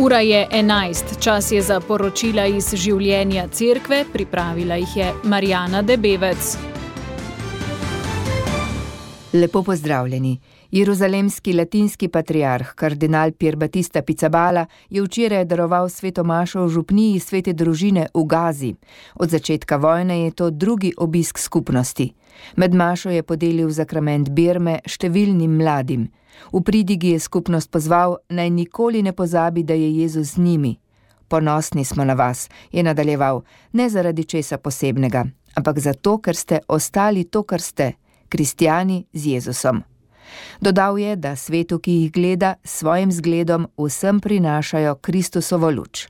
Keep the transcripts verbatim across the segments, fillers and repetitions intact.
Ura je enajst, čas je za poročila iz življenja cerkve, pripravila jih je Marjana Debevec. Lepo pozdravljeni. Jeruzalemski latinski patriarh, kardinal Pier Battista Pizzaballa, je včeraj daroval sveto mašo v župniji svete družine v Gazi. Od začetka vojne je to drugi obisk skupnosti. Med mašo je podelil zakrament birme številnim mladim. V pridigi je skupnost pozval, naj nikoli ne pozabi, da je Jezus z njimi. Ponosni smo na vas, je nadaljeval, ne zaradi česa posebnega, ampak zato, ker ste ostali to, kar ste, kristjani z Jezusom. Dodal je, da svetu, ki jih gleda, s svojim zgledom vsem prinašajo Kristusovo luč.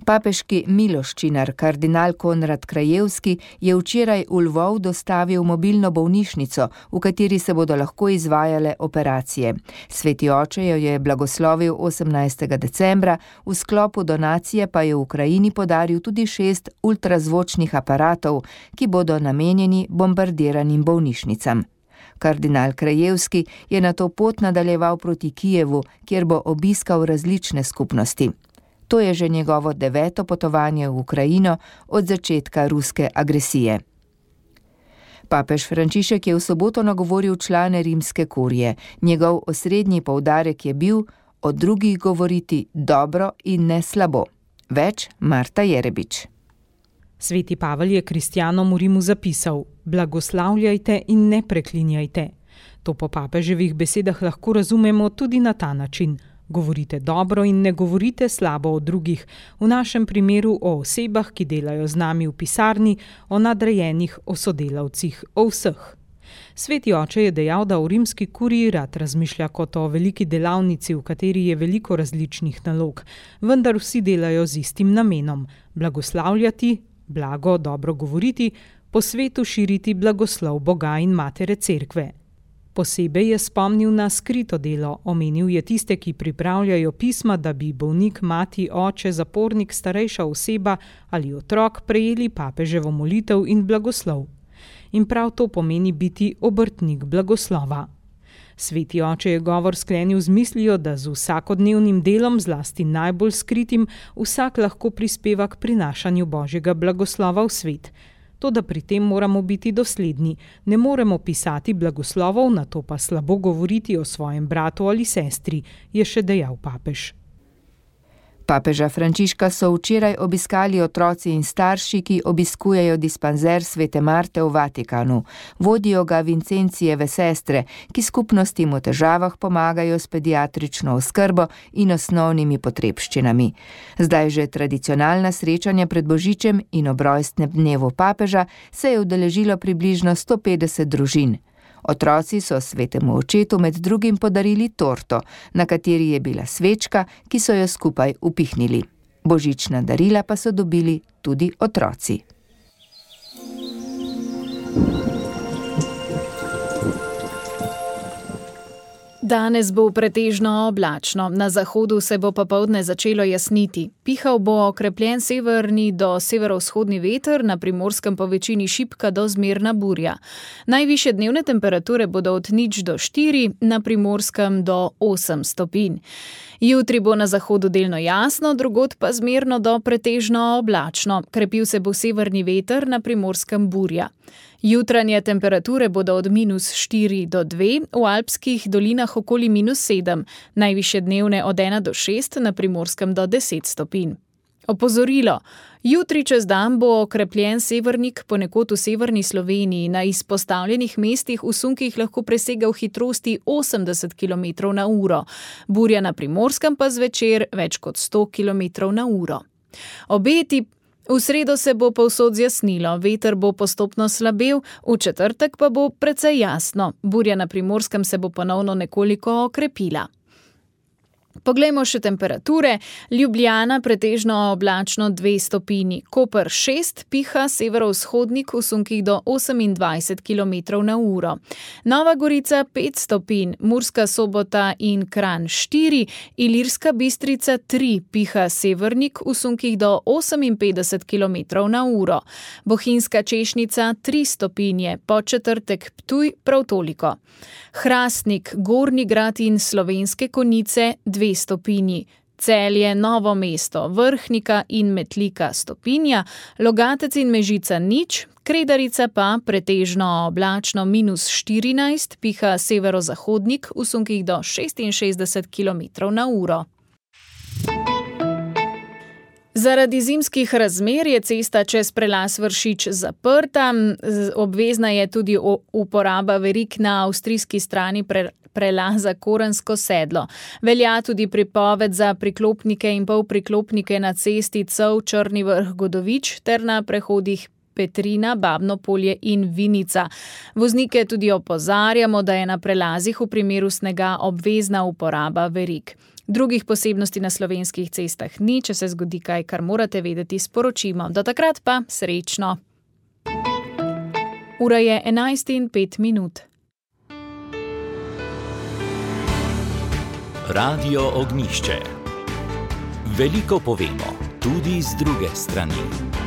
Papeški miloščinar, kardinal Konrad Krajewski, je včeraj v Lvov dostavil mobilno bolnišnico, v kateri se bodo lahko izvajale operacije. Sveti oče jo je blagoslovil osemnajstega decembra, v sklopu donacije pa je v Ukrajini podaril tudi šest ultrazvočnih aparatov, ki bodo namenjeni bombardiranim bolnišnicam. Kardinal Krajewski je nato pot nadaljeval proti Kijevu, kjer bo obiskal različne skupnosti. To je že njegovo deveto potovanje v Ukrajino od začetka ruske agresije. Papež Frančišek je v soboto nagovoril člane rimske kurije. Njegov osrednji poudarek je bil o drugih govoriti dobro in ne slabo. Več Marta Jerebič. Sveti Pavel je kristjanom v Rimu zapisal: blagoslavljajte in ne preklinjajte. To po papeževih besedah lahko razumemo tudi na ta način. Govorite dobro in ne govorite slabo o drugih, v našem primeru o osebah, ki delajo z nami v pisarni, o nadrejenih, o sodelavcih, o vseh. Sveti oče je dejal, da v rimski kuriji rad razmišlja kot o veliki delavnici, v kateri je veliko različnih nalog, vendar vsi delajo z istim namenom: blagoslavljati, blago, dobro govoriti, po svetu širiti blagoslov Boga in Matere Cerkve. Posebej je spomnil na skrito delo, omenil je tiste, ki pripravljajo pisma, da bi bolnik, mati, oče, zapornik, starejša oseba ali otrok prejeli papeževo molitev in blagoslov. In prav to pomeni biti obrtnik blagoslova. Sveti oče je govor sklenil z mislijo, da z vsakodnevnim delom, zlasti najbolj skritim, vsak lahko prispeva k prinašanju Božjega blagoslova v svet. Toda pri tem moramo biti dosledni. Ne moremo pisati blagoslovov, na to pa slabo govoriti o svojem bratu ali sestri, je še dejal papež. Papeža Frančiška so včeraj obiskali otroci in starši, ki obiskujejo dispanzer svete Marte v Vatikanu. Vodijo ga Vincencijeve sestre, ki skupnostim v težavah pomagajo s pediatrično oskrbo in osnovnimi potrebščinami. Zdaj že tradicionalna srečanja pred Božičem in ob rojstnem dnevu papeža se je udeležilo približno sto petdeset družin. Otroci so svetemu očetu med drugim podarili torto, na kateri je bila svečka, ki so jo skupaj upihnili. Božična darila pa so dobili tudi otroci. Danes bo pretežno oblačno, na zahodu se bo popoldne začelo jasniti. Pihal bo okrepljen severni do severovzhodni veter, na Primorskem po večini šibka do zmerna burja. Najvišje dnevne temperature bodo od nič do štiri, na Primorskem do osem stopinj. Jutri bo na zahodu delno jasno, drugod pa zmerno do pretežno oblačno. Krepil se bo severni veter, na Primorskem burja. Jutranje temperature bodo od minus štiri do dve, v alpskih dolinah okoli minus sedem, najvišje dnevne od ena do šest, na Primorskem do deset stopinj. Opozorilo. Jutri čez dan bo okrepljen severnik, ponekod v severni Sloveniji, na izpostavljenih mestih v sunkih lahko presegal hitrosti osemdeset kilometrov na uro, burja na Primorskem pa zvečer več kot sto kilometrov na uro. Obeti. V sredo se bo povsod zjasnilo, veter bo postopno slabel, v četrtek pa bo precej jasno, burja na Primorskem se bo ponovno nekoliko okrepila. Poglejmo še temperature. Ljubljana pretežno oblačno dve stopinji, Koper šest, piha severovzhodnik v sunkih do osemindvajset kilometrov na uro. Nova Gorica pet stopinj, Murska Sobota in Kranj štiri, Ilirska Bistrica tri, piha severnik v sunkih do oseminpetdeset kilometrov na uro. Bohinjska Češnica tri stopinje, Podčetrtek Ptuj prav toliko. Hrastnik, Gornji Grad in Slovenske Konjice dve dve stopinji. Celje, Novo mesto, Vrhnika in Metlika stopinja, Logatec in Mežica nič, Kredarica pa pretežno oblačno minus štirinajst, piha severozahodnik v sunkih do šestinšestdeset kilometrov na uro. Zaradi zimskih razmer je cesta čez prelaz Vršič zaprta, obvezna je tudi uporaba verig na avstrijski strani pre, prelaza Korensko sedlo. Velja tudi prepoved za priklopnike in polpriklopnike na cesti Cov Črni Vrh Godovič ter na prehodih Petrina, Babno Polje in Vinica. Voznike tudi opozarjamo, da je na prelazih v primeru snega obvezna uporaba verig. Drugih posebnosti na slovenskih cestah ni, če se zgodi kaj, kar morate vedeti, sporočimo. Do takrat pa srečno. Ura je enajst in pet minut. Radio Ognjišče. Veliko povemo, tudi z druge strani.